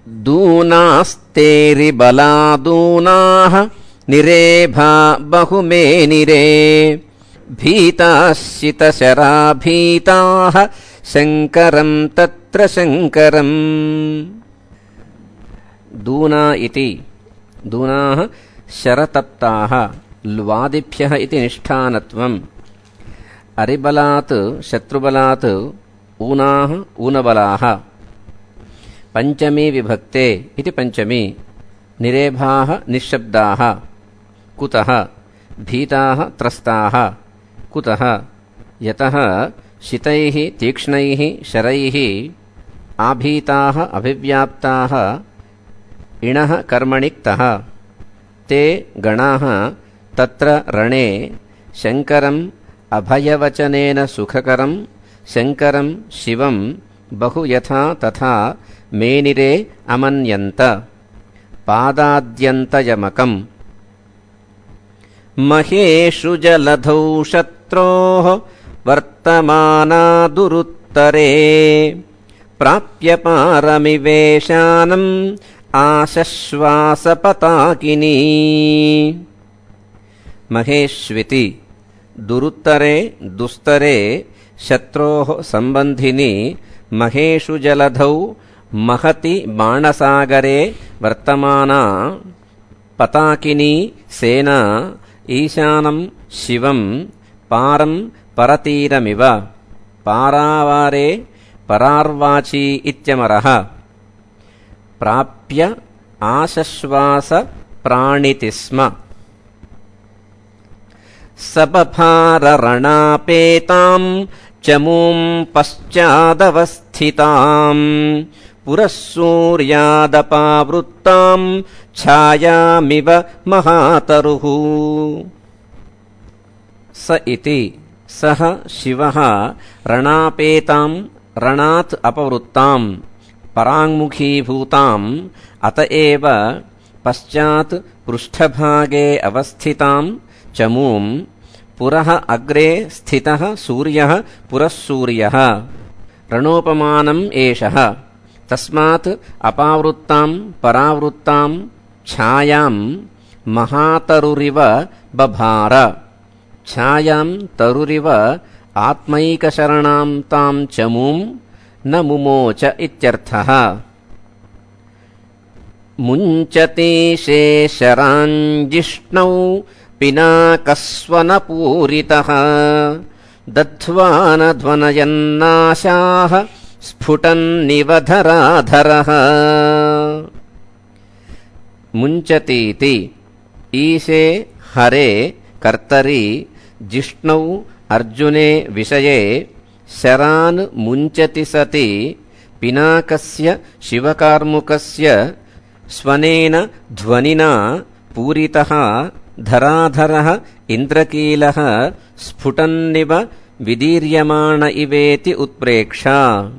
दूनास्तेरिबलादूनाः निरेभा बहुमेनिरे भीताश्चितशराभीताः शङ्करं तत्र शङ्करम्। दूना इति दूनाः शरतप्ताः ल्वादिभ्यः इति निष्ठानत्वम्। अरिबलात् शत्रुबलात् ऊनाः ऊनबलाः। पंचमी विभक्ते इति पंचमी। निरेभाः निःशब्दाः। कुतः? भीताः त्रस्ताः। कुतः? यतः शितैः तीक्ष्णैः शरैः आभीताः अभिव्याप्ताः इणः कर्मणिक्तः ते गणाः तत्र रणे शङ्करम् अभयवचनेन सुखकरं शङ्करं शिवं बहु यथा तथा मेनिरे अमन्यन्त। पादाद्यन्तयमकम्। महेषु जलधौ शत्रोः वर्तमानादुरुत्तरे प्राप्य पारमिवेशानम् आशश्वासपताकिनी। महेष्विति दुरुत्तरे दुस्तरे शत्रोः संबंधिनी महेषु जलधौ महति बाणसागरे वर्तमाना पताकिनी सेना ईशानं शिवं पारं परतीरमिव। पारावारे परार्वाची इत्यमरः। प्राप्य आशश्वास प्राणिति स्म। सबभाररणापेतां चमूं पश्चादवस्थितां पुरः सूर्यादपावृत्तां छायामिव महातरुः। स इति सः शिवः रणापेतां रणात् अपवृत्तां पराङ्मुखीभूताम् अत एव पश्चात् पृष्ठभागे अवस्थितां चमूं पुरः अग्रे स्थितः सूर्यः पुरः सूर्यः रणोपमानम् एषः। तस्मात् अपावृत्तां परावृत्तां छायां महातरुरिव बभार। छायां तरुरिव आत्मैकशरणां तां चमूं न मुमोच इत्यर्थः। मुञ्चति शेषराञ्जिष्णौ पिनाकस्वनपूरितः दध्वानध्वनयन्नाशाः स्फुटन्निवधराधरः। मुञ्चतीति ईशे हरे कर्तरि जिष्णौ अर्जुने विषये शरान् मुञ्चति सति पिनाकस्य शिवकार्मुकस्य स्वनेन ध्वनिना पूरितः धराधरः इन्द्रकीलः स्फुटन्निव विदीर्यमाण इवेति उत्प्रेक्षा।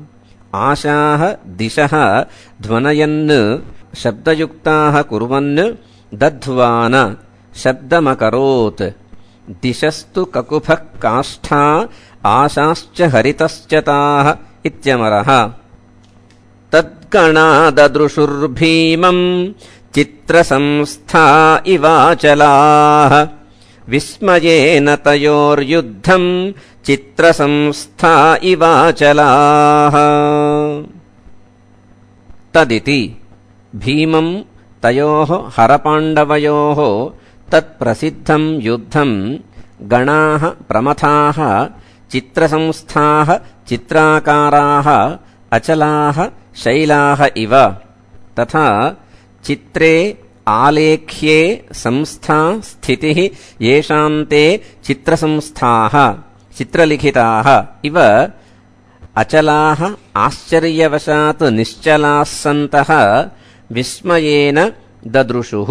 आशाः दिशः ध्वनयन् शब्दयुक्ताः कुर्वन् दध्वान शब्दमकरोत्। दिशस्तु ककुभः काष्ठा आशाश्च हरितश्च ताः इत्यमरः। तद्गणाददृशुर्भीमम् चित्रसंस्था इवाचलाः विस्मयेन तयोर्युद्धम् चित्रसंस्था इवाचलाः। तदिति भीमम् तयोः हरपाण्डवयोः तत्प्रसिद्धम् युद्धम् गणाः प्रमथाः चित्रसंस्थाः चित्राकाराः अचलाः शैलाः इव। तथा चित्रे आलेख्ये संस्था स्थितिः येषान्ते चित्रसंस्थाः चित्रलिखिताः इव अचलाः आश्चर्यवशात् निश्चलाः सन्तः विस्मयेन ददृशुः।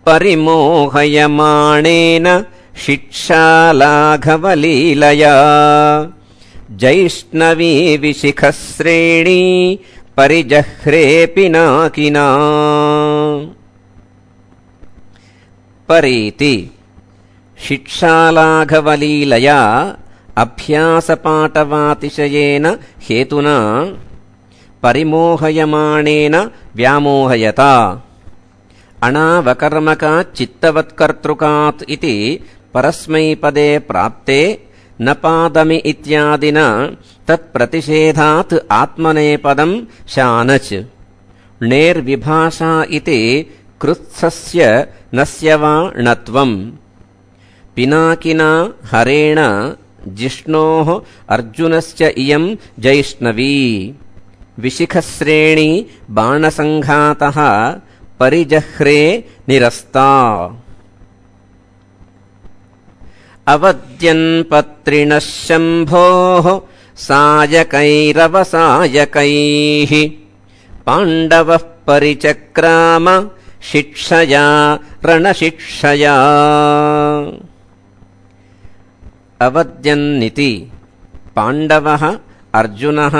परिमोहयमाणेन शिक्षालाघवलीलया जैष्णवी विशिखश्रेणी परिजह्रे पिनाकिना। परीति शिक्षालाघवलीलया अभ्यासपाटवातिशयेन हेतुना परिमोहयमाणेन व्यामोहयता अणावकर्मकात् चित्तवत्कर्तृकात् इति परस्मैपदे प्राप्ते न पादमि इत्यादिना तत्प्रतिषेधात् आत्मनेपदं शानच् णेर्विभाषा इति कृत्सस्य नस्य वा णत्वम् पिनाकिना हरेण जिष्णोः अर्जुनस्य इयं जैष्णवी विशिखश्रेणी बाणसङ्घातः परिजह्रे निरस्ता अवद्यन्पत्रिणः शम्भोः सायकैरवसायकैः पाण्डवः परिचक्राम शिक्षया रणशिक्षया अवद्यन्निति पाण्डवः अर्जुनः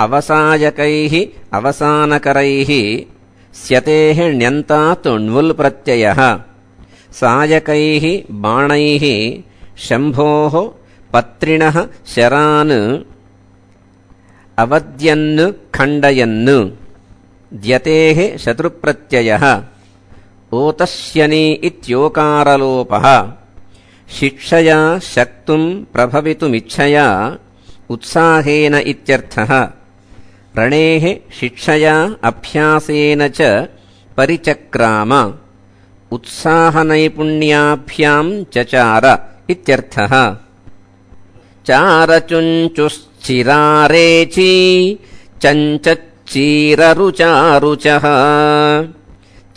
अवसायकैः अवसानकरैः स्यतेः ण्यन्तात् ण्वुल् प्रत्ययः सायकैः बाणैः शम्भोः पत्रिणः शरान् अवद्यन् खण्डयन् द्यतेः शत्रुप्रत्ययः ओतस्यनि इत्योकारलोपः शिक्षया शक्तुं प्रभवितुमिच्छया उत्साहेन इत्यर्थः रणेः शिक्षया अभ्यासेन च परिचक्राम उत्साहनैपुण्याभ्यां चचार इत्यर्थः चारचुञ्चुश्चिरारेची चञ्चच्चीररुचारुचः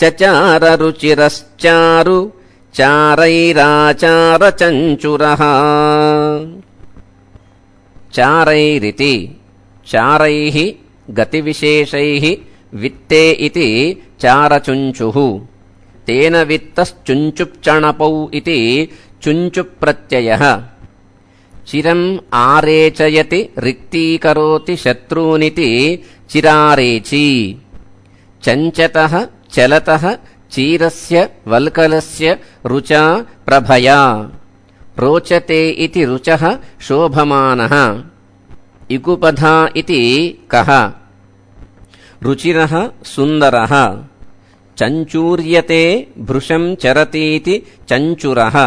चचाररुचिरश्चारु चारैराचारचञ्चुरः चारैरिति चारैः गतिविशेषैः वित्ते इति चारचुञ्चुः तेन वित्तश्चुञ्चुप्चणपौ इति चुञ्चुप्रत्ययः चिरम् आरेचयति रिक्तीकरोति शत्रूनिति चिरारेची चञ्चतः चलतः चीरस्य वल्कलस्य रुचा प्रभया रोचते इति रुचः शोभमानः इकुपधा इति कः रुचिरः सुन्दरः चञ्चूर्यते भृशं चरतीति चञ्चुरः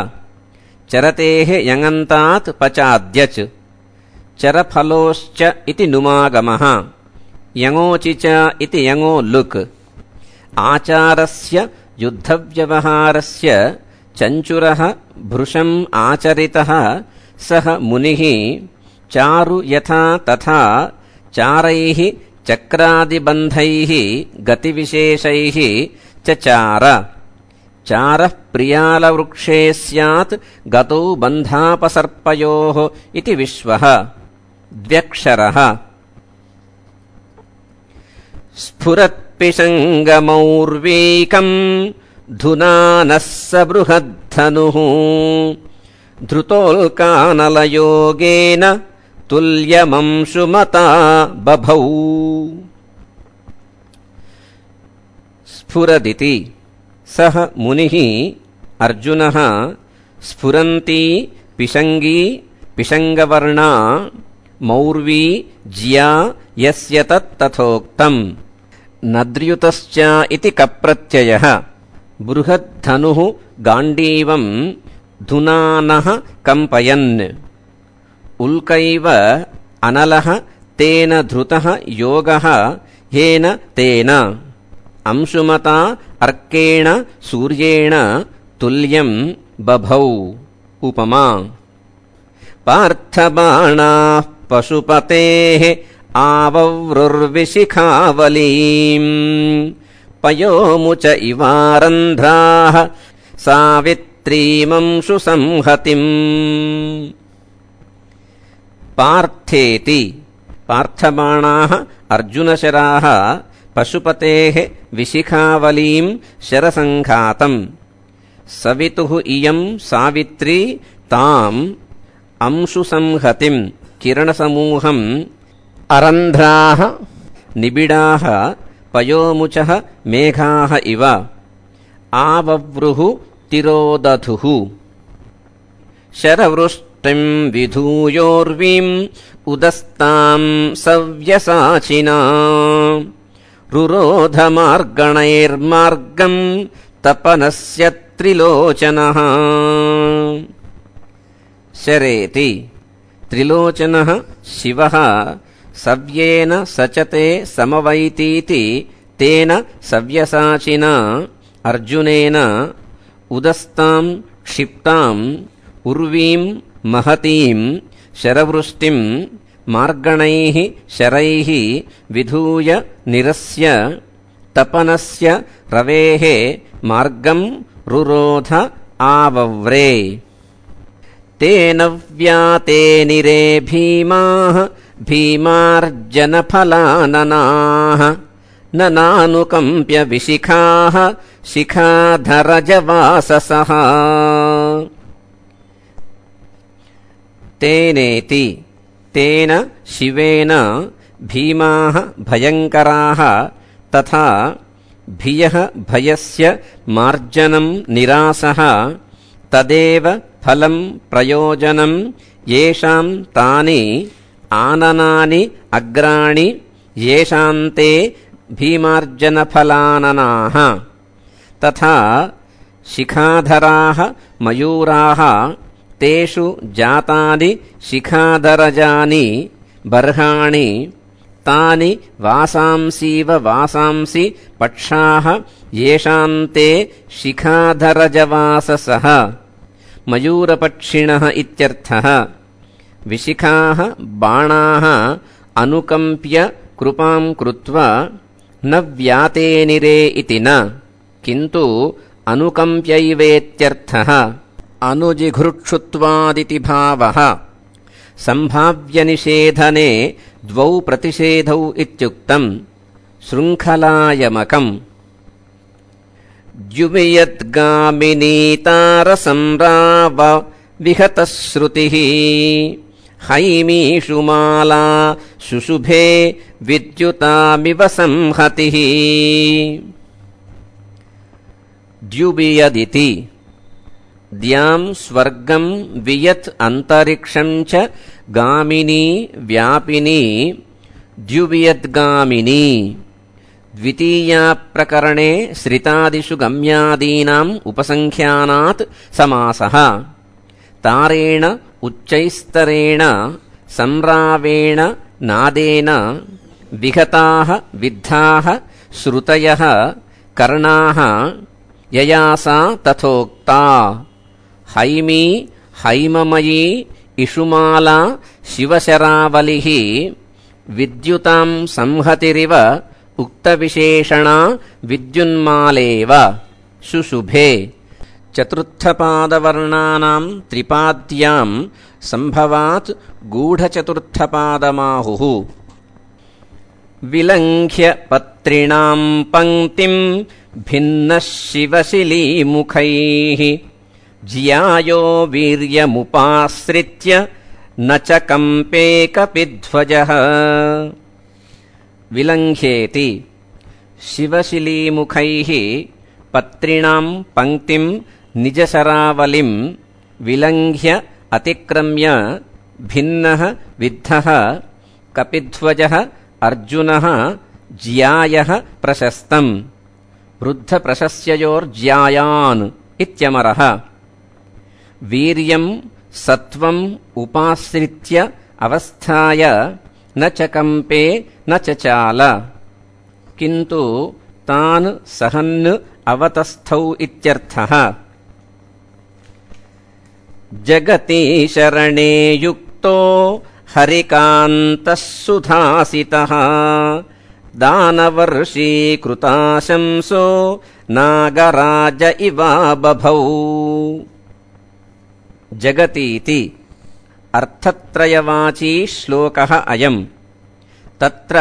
चरतेः यङन्तात् पचाद्यच् चरफलोश्च इति नुमागमः यङोचि च इति यङो लुक् आचारस्य युद्धव्यवहारस्य चञ्चुरः भृशम् आचरितः सः मुनिः चारु यथा तथा चारैः चक्रादिबन्धैः गतिविशेषैः चचार चारः प्रियालवृक्षे स्यात् गतौ बन्धापसर्पयोः इति विश्वः द्व्यक्षरः स्फुरत्पिशङ्गमौर्वीकम् धुनानः स बृहद्धनुः धृतोल्कानलयोगेन तुल्यमंशुमता बभौ स्फुरदिति सः मुनिः अर्जुनः स्फुरन्ती पिशङ्गी पिशङ्गवर्णा मौर्वी ज्या यस्य तत्तथोक्तम् नद्र्युतश्च इति कप्रत्ययः बृहद्धनुः गाण्डीवम् धुनानः कम्पयन् उल्कैव अनलः तेन धृतः योगः येन तेन अंशुमता अर्केण सूर्येण तुल्यम् बभौ उपमा पार्थबाणाः पशुपतेः आवव्रुर्विशिखावलीम् पयोमुच इवारन्ध्राः सावित्रीमंशु संहतिम् पार्थेति पार्थबाणाः अर्जुनशराः पशुपतेः विशिखावलीम् शरसङ्घातम् सवितुः इयम् सावित्री ताम् अंशुसंहतिम् किरणसमूहम् अरन्ध्राः निबिडाः पयोमुचः मेघाः इव आवव्रुः तिरोदधुः शरवृष्टिम् विधूयोर्वीम् उदस्ताम् सव्यसाचिना रुरोधमार्गणैर्मार्गम् तपनस्य त्रिलोचनः शरेति त्रिलोचनः शिवः सव्येन सचते समवैतीति तेन सव्यसाचिना अर्जुनेन उदस्ताम् क्षिप्ताम् उर्वीम् महतीम् शरवृष्टिम् मार्गणैः शरैः विधूय निरस्य तपनस्य रवेः मार्गम् रुरोध आवव्रे तेन व्याते निरे भीमाः भीमार्जनफलाननाः न नानुकम्प्य विशिखाः शिखाधरजवाससः तेनेति तेन शिवेन भीमाः भयङ्कराः तथा भियः भयस्य मार्जनं निरासः तदेव फलं प्रयोजनं येषां तानि आननानि अग्राणि येषां ते भीमार्जनफलाननाः तथा शिखाधराः मयूराः तेषु जातानि शिखाधरजानि बर्हाणि तानि वासांसीव वासांसि पक्षाः येषां ते शिखाधरजवाससः मयूरपक्षिणः इत्यर्थः विशिखाः बाणाः अनुकम्प्य कृपां कृत्वा न व्यातेनिरे इति न किन्तु अनुकम्प्यैवेत्यर्थः अनुजिघृक्षुत्वादिति भावः सम्भाव्यनिषेधने द्वौ प्रतिषेधौ इत्युक्तम् शृङ्खलायमकम् द्युवियद्गामिनीतारसंराव विहतश्रुतिः हैमीषु माला शुशुभे विद्युतामिव संहतिः द्युवियदिति द्याम् स्वर्गम् वियत् अन्तरिक्षम् च गामिनी व्यापिनी द्युवियद्गामिनी द्वितीया प्रकरणे श्रितादिषु गम्यादीनाम् उपसङ्ख्यानात् समासः तारेण उच्चैस्तरेण संरावेण नादेन विहताः विद्धाः श्रुतयः कर्णाः ययासा तथोक्ता हैमी हैममयी इषुमाला शिवशरावलिः विद्युतां संहतिरिव उक्तविशेषणा विद्युन्मालेव शुशुभे चतुर्थपादवर्णानां त्रिपाद्यां सम्भवात् गूढचतुर्थपादमाहुः विलङ्घ्य पत्रिणां पङ्क्तिं भिन्नः शिवशिलीमुखैः ज्यायो वीर्यमुपाश्रित्य न च कम्पे कपिध्वजः विलङ्घ्येति शिवशिलीमुखैः पत्रिणां पङ्क्तिं निजशरावलिं विलङ्घ्य अतिक्रम्य भिन्नः विद्धः कपिध्वजः अर्जुनः ज्यायः प्रशस्तम् वृद्धप्रशस्ययोर्ज्यायान् इत्यमरः वीर्यं सत्वम् उपाश्रित्य अवस्थाय न च कम्पे न चचाल किन्तु तान् सहन् अवतस्थौ इत्यर्थः जगति शरणे युक्तो हरिकान्तः सुधासितः दानवर्षीकृताशंसो नागराज इवा बभौ जगतीति अर्थत्रयवाची श्लोकः अयम् तत्र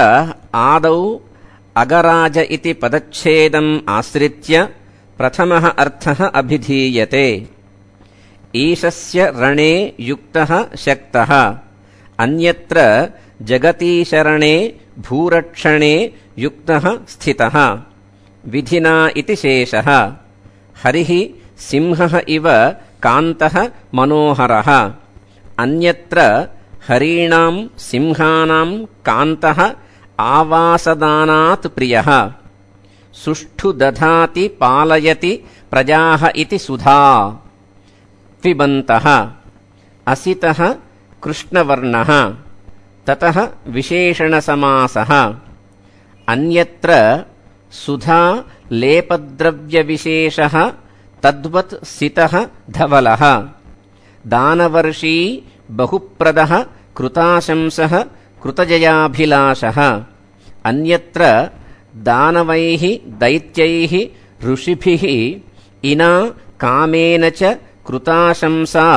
आदौ अगराज इति पदच्छेदम् आश्रित्य प्रथमः अर्थः अभिधीयते ईशस्य रणे युक्तः शक्तः अन्यत्र जगतीशरणे भूरक्षणे युक्तः स्थितः विधिना इति शेषः हरिः सिंहः इव कान्तः मनोहरः अन्यत्र हरीणां सिंहानां कान्तः आवासदानात् प्रियः सुष्ठु दधाति पालयति प्रजाः इति सुधा पिबन्तः असितः कृष्णवर्णः ततः विशेषणसमासः अन्यत्र सुधा लेपद्रव्यविशेषः तद्वत् सितः धवलः दानवर्षी बहुप्रदः कृताशंसः कृतजयाभिलाषः अन्यत्र दानवैः दैत्यैः ऋषिभिः इना कामेन च कृताशंसा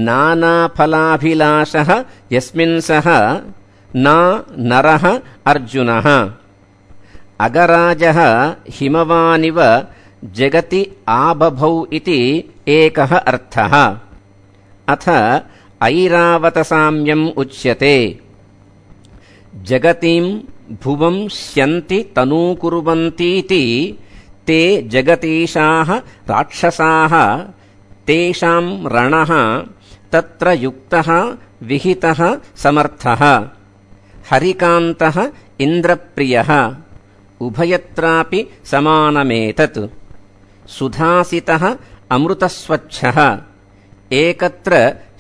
नानाफलाभिलाषः यस्मिन् सः न नरः अर्जुनः अगराजः हिमवानिव जगति आबभौ इति एकः अर्थः अथ ऐरावतसाम्यम् उच्यते जगतीं भुवं स्यन्ति तनूकुर्वन्तीति ते जगतीशाः राक्षसाः तेषां रणः तत्र युक्तः विहितः समर्थः हरिकान्तः इन्द्रप्रियः उभयत्रापि समानमेतत् सुधासितः अमृतस्वच्छः एकत्र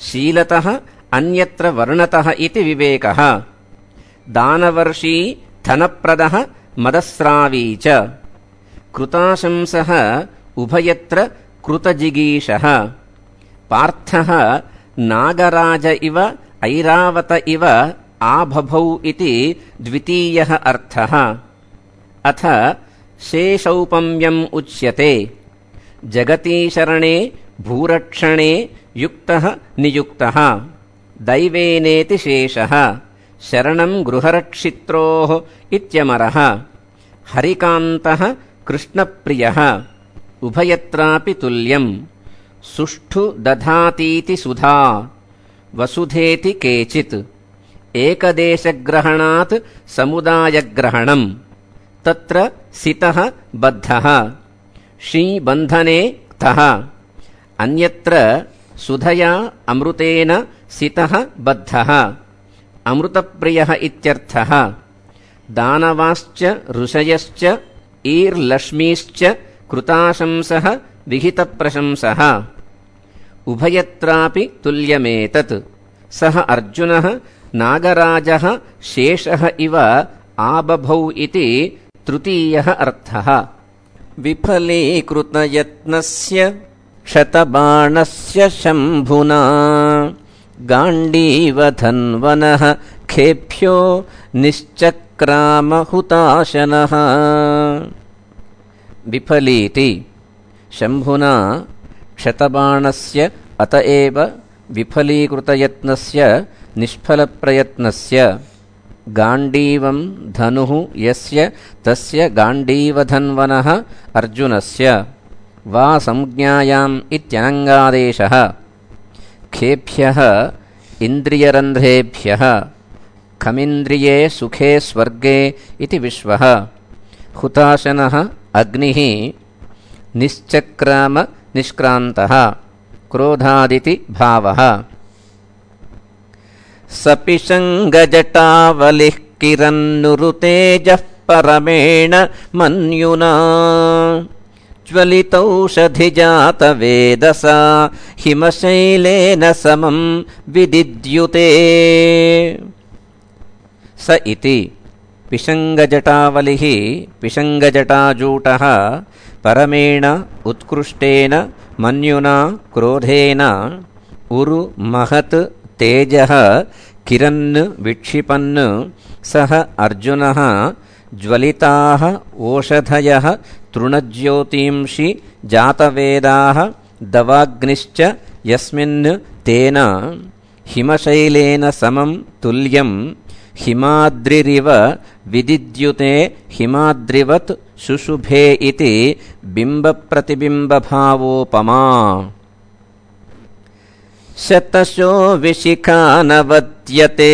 शीलतः अन्यत्र वर्णतः इति विवेकः दानवर्षी धनप्रदः मदस्रावी च कृताशंसः उभयत्र कृतजिगीषः पार्थः नागराज इव ऐरावत इव आबभौ इति द्वितीयः अर्थः अथ शेषौपम्यम् उच्यते जगतीशरणे भूरक्षणे युक्तः नियुक्तः दैवेनेति शेषः शरणं गृहरक्षित्रोः इत्यमरः हरिकान्तः कृष्णप्रियः उभयत्रापि तुल्यम् सुष्ठु दधातीति सुधा वसुधेति केचित् एकदेशग्रहणात् समुदायग्रहणम् तत्र सितः बद्धः शीबन्धने क्तः अन्यत्र सुधया अमृतेन सितः बद्धः अमृतप्रियः इत्यर्थः दानवाश्च ऋषयश्च ईर्लक्ष्मीश्च कृताशंसः विहितप्रशंसः उभयत्रापि तुल्यमेतत् सः अर्जुनः नागराजः शेषः इव आबभौ इति तृतीयः अर्थः विफलीकृतयत्नस्य क्षतबाणस्य शम्भुना गाण्डीवधन्वनः खेभ्यो निश्चक्रामहुताशनः विफलीति शम्भुना क्षतबाणस्य अत एव विफलीकृतयत्नस्य निष्फलप्रयत्नस्य गाण्डीवं धनुः यस्य तस्य गाण्डीवधन्वनः अर्जुनस्य वा संज्ञायाम् इत्यनङ्गादेशः खेभ्यः इन्द्रियरन्ध्रेभ्यः खमिन्द्रिये सुखे स्वर्गे इति विश्वः हुताशनः अग्निः निश्चक्राम निष्क्रान्तः क्रोधादिति भावः सपिशङ्गजटावलिः किरन्नुरुतेजः परमेण मन्युना ज्वलितौषधिजातवेदसा हिमशैलेन समं विदिद्युते स इति पिशङ्गजटावलिः पिशङ्गजटाजूटः परमेण उत्कृष्टेन मन्युना क्रोधेन उरु महत् तेजः किरन् विक्षिपन् सः अर्जुनः ज्वलिताः ओषधयः तृणज्योतींषि जातवेदाः दवाग्निश्च यस्मिन् तेन हिमशैलेन समं तुल्यं हिमाद्रिरिव विदिद्युते हिमाद्रिवत् शुशुभे इति बिम्बप्रतिबिम्बभावोपमा शतशो विशिखानवद्यते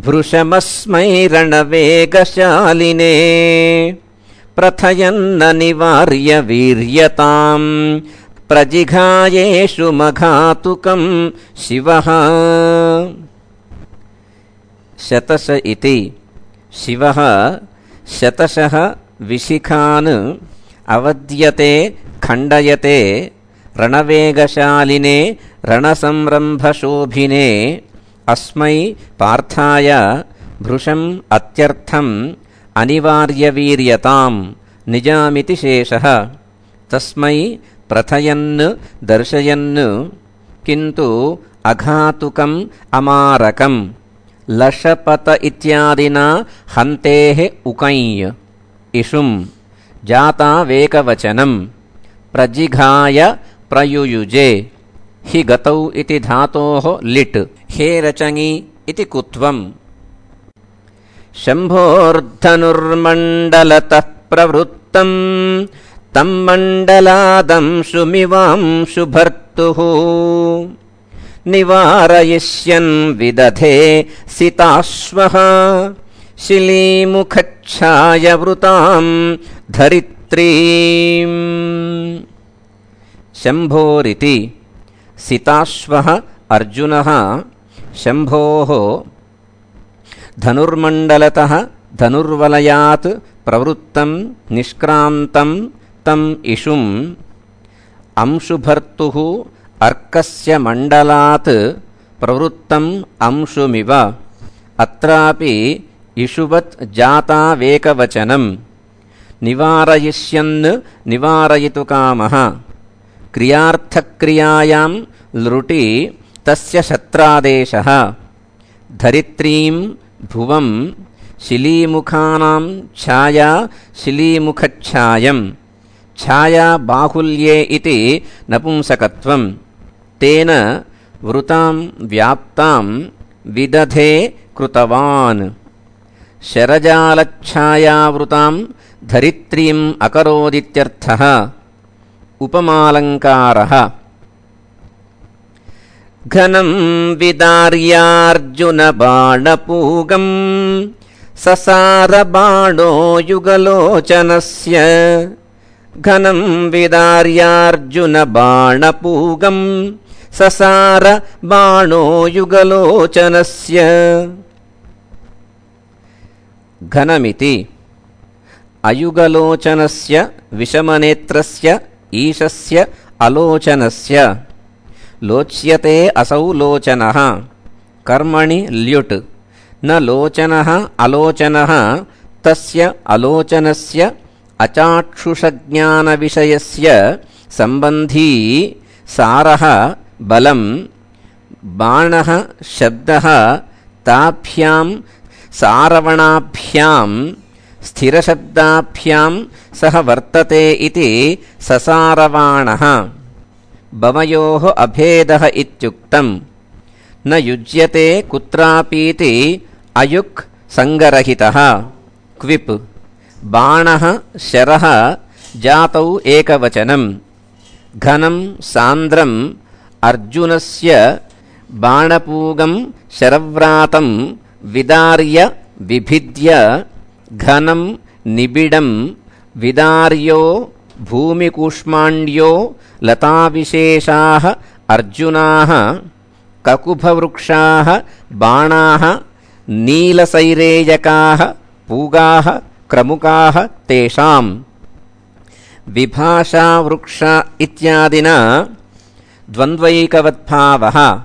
भृशमस्मै रणवेगशालिने प्रथयन्न निवार्य वीर्यताम् प्रजिघायेषु मघातुकं शिवः। शतश इति शिवः शतशः विशिखान् अवद्यते खण्डयते रणवेगशालिने रणसंरम्भशोभिने अस्मै पार्थाय भृशम् अत्यर्थम् अनिवार्यवीर्यताम् निजामिति शेषः। तस्मै प्रथयन् दर्शयन् किन्तु अघातुकम् अमारकम् लशपत इत्यादिना हन्तेः उकञ् इषुम् जातावेकवचनम् प्रजिघाय प्रयुयुजे हि गतौ इति धातोः लिट् हे रचङि इति कुत्वम्। शम्भोर्धनुर्मण्डलतः प्रवृत्तम् तं मण्डलादंशुमिवांशु भर्तुः निवारयिष्यन् विदधे सिताश्वः शिलीमुखच्छायवृताम् धरित्रीम्। शम्भोरिति सिताश्वः अर्जुनः शम्भोः धनुर्मण्डलतः धनुर्वलयात् प्रवृत्तं निष्क्रान्तं तम् इषुम् अंशुभर्तुः अर्कस्य मण्डलात् प्रवृत्तम् अंशुमिव। अत्रापि इषुवत् जातावेकवचनम् निवारयिष्यन् निवारयितुकामः क्रियार्थक्रियायां लृटि तस्य शत्रादेशः। धरित्रीं भुवं शिलीमुखानां छाया शिलीमुखच्छायम् छाया बाहुल्ये इति नपुंसकत्वम् तेन वृतां व्याप्तां विदधे कृतवान्। शरजालच्छायावृतां धरित्रीम् अकरोदित्यर्थः। उपमालङ्कारः घनं विदार्यार्जुनबाणपूगम् ससारबाणो युगलोचनस्य। घनं विदार्यार्जुनबाणपूगम् ससारबाणो युगलोचनस्य। घनमिति अयुगलोचनस्य विषमनेत्रस्य ईशस्य अलोचनस्य। लोच्यते असौ लोचनः कर्मणि ल्युट् न लोचनः अलोचनः तस्य अलोचनस्य अचाक्षुषज्ञानविषयस्य सम्बन्धी सारः बलं बाणः शब्दः ताभ्यां सारवणाभ्यां स्थिरशब्दाभ्यां सह वर्तते इति ससारवाणः। भवयोः अभेदः इत्युक्तम्। न युज्यते कुत्रापीति अयुक् संगरहितः क्विप्। बाणः शरः जातौ एकवचनम्। घनं सान्द्रम् अर्जुनस्य बाणपूगं शरव्रातं विदार्य विभिद्य घनं निबिडं विदार्यो भूमिकूष्माण्ड्यो लताविशेषाः अर्जुनाः ककुभवृक्षाः बाणाः नीलसैरेयकाः पूगाः क्रमुकाः तेषाम्। विभाषावृक्ष इत्यादिना द्वन्द्वैकवद्भावः।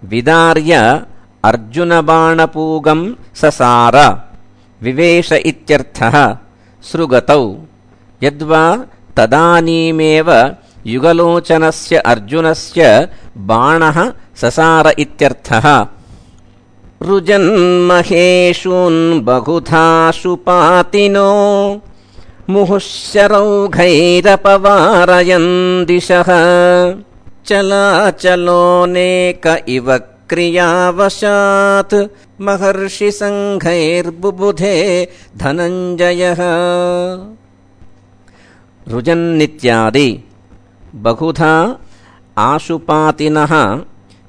विदार्य अर्जुनबाणपूगं ससार विवेश इत्यर्थः। सृगतौ यद्वा तदानीमेव युगलोचनस्य अर्जुनस्य बाणः ससार इत्यर्थः। रुजन्महेशून् बहुधा शुपातिनो मुहुश्शरौघैरपवारयन् दिशः। चलाचलोनेक इव क्रियावशात् महर्षिसङ्घैर्बुबुधे धनञ्जयः। रुजन्नित्यादि बहुधा आशुपातिनः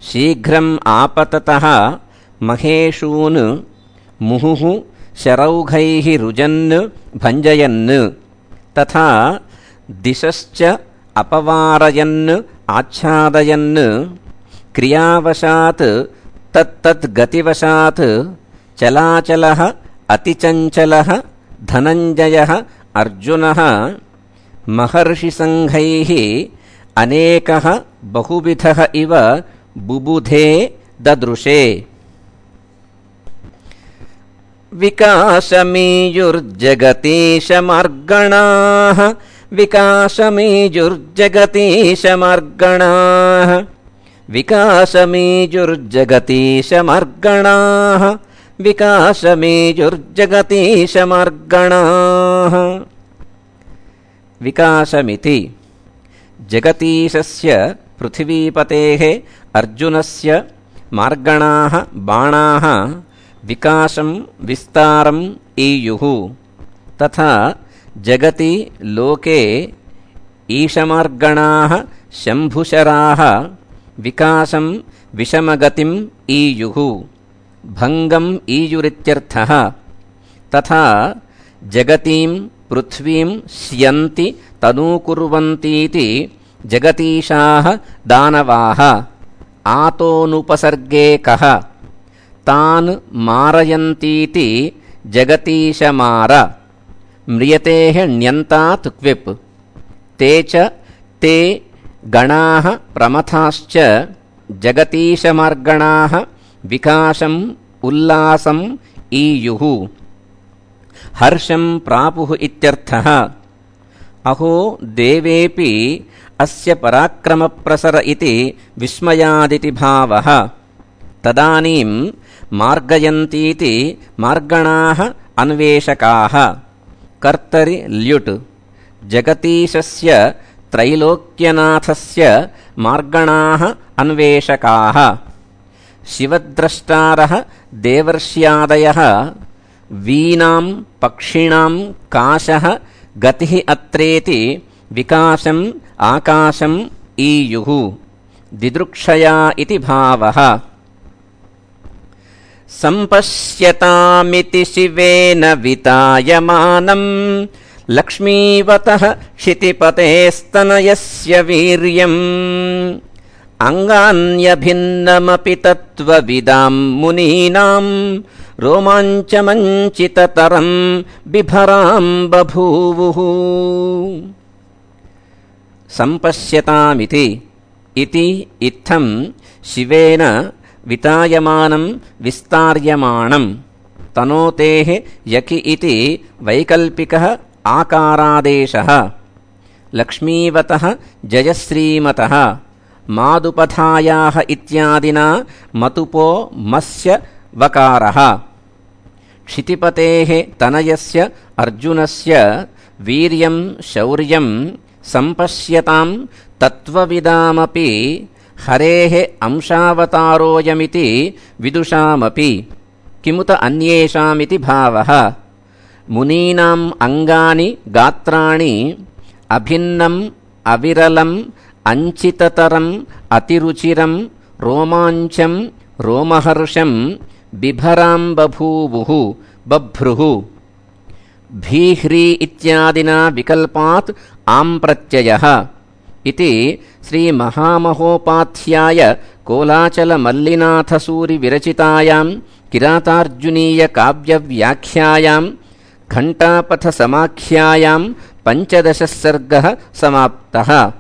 शीघ्रम् आपततः महेशून् मुहुः शरौघैः रुजन् भञ्जयन्। तथा दिशश्च अपवारयन् आच्छादयन् क्रियावशात् तत्तद्गतिवशात् चलाचलः अतिचञ्चलः धनञ्जयः अर्जुनः महर्षिसङ्घैः अनेकः बहुविधः इव बुबुधे ददृशे। विकासमीयुर्जगतीशमार्गणाः विकासमीयुर्जगतीशमार्गणाः विकासमीयुर्जगतीशमार्गणाः विकासमीयुर्जगतीशमार्गणाः। विकासमिति जगतीशस्य पृथिवीपतेः अर्जुनस्य मार्गणाः बाणाः विकासं विस्तारम् ईयुः। तथा जगति लोके ईशमार्गणाः शम्भुशराः विकासं विषमगतिम् ईयुः, भङ्गम् ईयुरित्यर्थः। तथा जगतीं पृथ्वीं स्यन्ति तनूकुर्वन्तीति जगतीशाः दानवाः। आतोनुपसर्गे कः तान् मारयन्तीति जगतीशमार। म्रियतेः ण्यन्तात् क्विप्। ते च ते गणाः प्रमथाश्च जगतीशमार्गणाः विकासम् उल्लासम् ईयुः, हर्षं प्रापुः इत्यर्थः। अहो देवेपि अस्य पराक्रमप्रसर इति विस्मयादिति भावः। तदानीं मार्गयन्तीति मार्गणाः अन्वेषकाः। कर्तरि ल्युट् जगतीशस्य त्रैलोक्यनाथस्य मार्गणाः अन्वेषकाः। शिवद्रष्टारः देवर्ष्यादयः वीणां पक्षिणां काशः गतिः अत्रेति विकासम् आकाशम् ईयुः, दिदृक्षया इति भावः। सम्पश्यतामिति शिवेन वितायमानम् लक्ष्मीवतः क्षितिपतेस्तनयस्य वीर्यम् अङ्गान्यभिन्नमपि तत्त्वविदां मुनीनां रोमाञ्चमञ्चिततरं बिभरां बभूवुः। सम्पश्यतामिति इति इत्थं शिवेन वितायमानं विस्तार्यमाणं तनोतेः यकि इति वैकल्पिकः आकारादेशः। लक्ष्मीवतः जयश्रीमतः मादुपधायाः इत्यादिना मतुपो मस्य वकारः। क्षितिपतेः तनयस्य अर्जुनस्य वीर्यं शौर्यं सम्पश्यतां तत्त्वविदामपि हरेः अंशावतारोऽयमिति विदुषामपि किमुत अन्येषामिति भावः। मुनीनाम् अङ्गानि गात्राणि अभिन्नम् अविरलम् अञ्चिततरम् अतिरुचिरं रोमाञ्चं रोमहर्षं बिभरां बभूवुः बभ्रुः। भीह्री इत्यादिना विकल्पात् आम् प्रत्ययः इति श्रीमहामहोपाध्याय कोलाचलमल्लिनाथसूरिविरचितायां किरातार्जुनीयकाव्यव्याख्यायां घण्टापथसमाख्यायां 15 सर्गः समाप्तः।